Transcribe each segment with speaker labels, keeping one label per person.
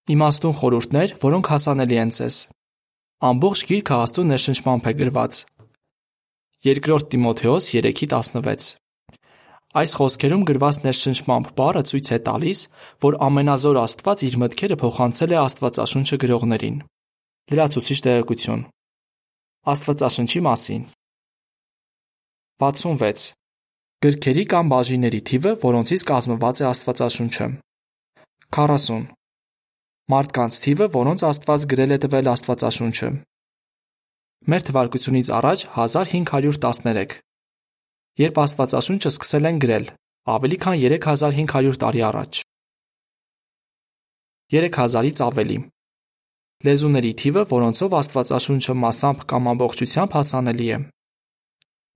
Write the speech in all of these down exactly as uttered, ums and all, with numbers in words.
Speaker 1: Իմաստուն խորհուրդներ, որոնք հասանելի են ձեզ։ Ամբողջ գիրքը Աստծո ներշնչմամբ է գրված։ Երկրորդ Տիմոթեոս երեքի տասնվեց։ Այս խոսքերում գրված ներշնչմամբ բառը ցույց է տալիս, որ ամենազոր Աստված իր մտքերը փոխանցել է Աստվածաշունչը գրողներին։ Լրացուցիչ տեղեկություն Աստվածաշնչի մասին։ վաթսունվեց. Գրքերի կամ բաժինների թիվը, որոնցից կազմված է Աստվածաշունչը։ քառասուն. Մարդկանց թիվը, որոնց Աստված գրել է տվել Աստվածաշունչը։ Մեր թվարկությունից առաջ հազար հինգ հարյուր տասներեք, երբ Աստվածաշունչը սկսել են գրել, ավելի քան երեք հազար հինգ հարյուր տարի առաջ։ երեք հազարից ավելի. Լեզուների թիվը, որոնցով Աստվածաշունչը մասամբ կամ ամբողջությամբ հասանելի է։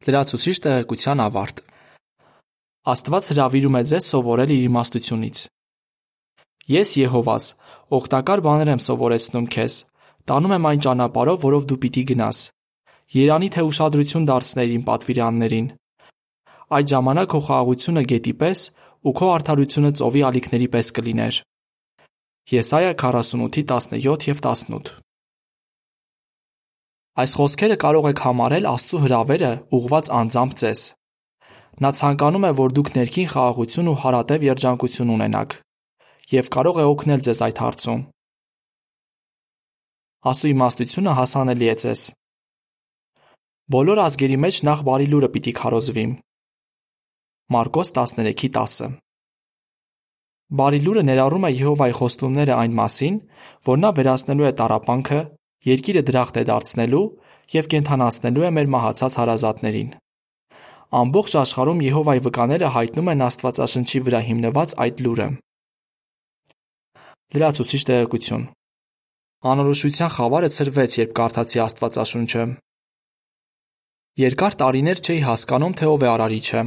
Speaker 1: Լրացուցիչ տեղեկության ավարտ։ Աստված հրավիրում է ձեզ սովորել իր իմաստությունից։ Ես Եհովաս, օգտակար բաներ եմ սովորեցնում քեզ, տանում եմ այն ճանապարհով, որով դու պիտի գնաս։ Երանի թե ուշադրություն դարձներ իմ պատվիրաններին։ Այդ ժամանակ քո խաղաղությունը գետի պես ու քո արդարությունը ծովի ալիքների պես կլիներ։ Եսայա քառասունութ տասնյոթ և տասնութ։ Այս խոսքերը կարող եք համարել Աստծո հրավերը ուղղված անձամբ ձեզ։ Նա ցանկանում է, որ դուք ներքին խաղաղություն ու հարատև երջանկություն ունենաք, և կարող է օգնել ձեզ այդ հարցում։ Աստծո իմաստությունը հասանելի է ձեզ։ Բոլոր ազգերի մեջ նախ բարի լուրը պիտի քարոզվի։ Մարկոս տասներեքի տասը։ Բարի լուրը ներառում է Եհովայի խոստումները այն մասին, որ նա վերացնելու է տառապանքը, երկիրը դրախտ է դարձնելու և կենդանացնելու է մեր մահացած հարազատներին։ Ամբողջ աշխարհում Եհովայի վկաները հայտնում են Աստվածաշնչի վրա հիմնված այդ լուրը։ Լրացուցիչ տեղեկություն Անորոշության խավարը ցրվեց, երբ կարդացի Աստվածաշունչը։ Երկար տարիներ չէի հասկանում, թե ով է արարիչը։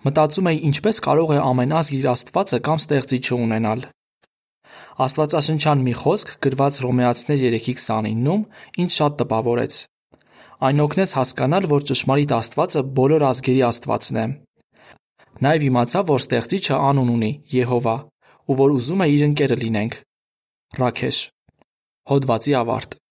Speaker 1: Մտածում էի, ինչպես կարող է ամեն ազգ իր Աստվածը կամ ստեղծիչը ունենալ։ Աստվածաշնչյան մի խոսք գրված Հռոմեացիներ երեքի քսանինում ինձ շատ տպավորեց։ Այն օգնեց հասկանալ, որ ճշմարիտ Աստվածը բոլոր ազգերի Աստվածն է։ Նաև իմացա, որ ստեղծիչը անուն ունի՝ Եհովա, ու որ ուզում է իր ընկերը լինենք։ Ռաքեշ։ Հոդվացի ավարտ։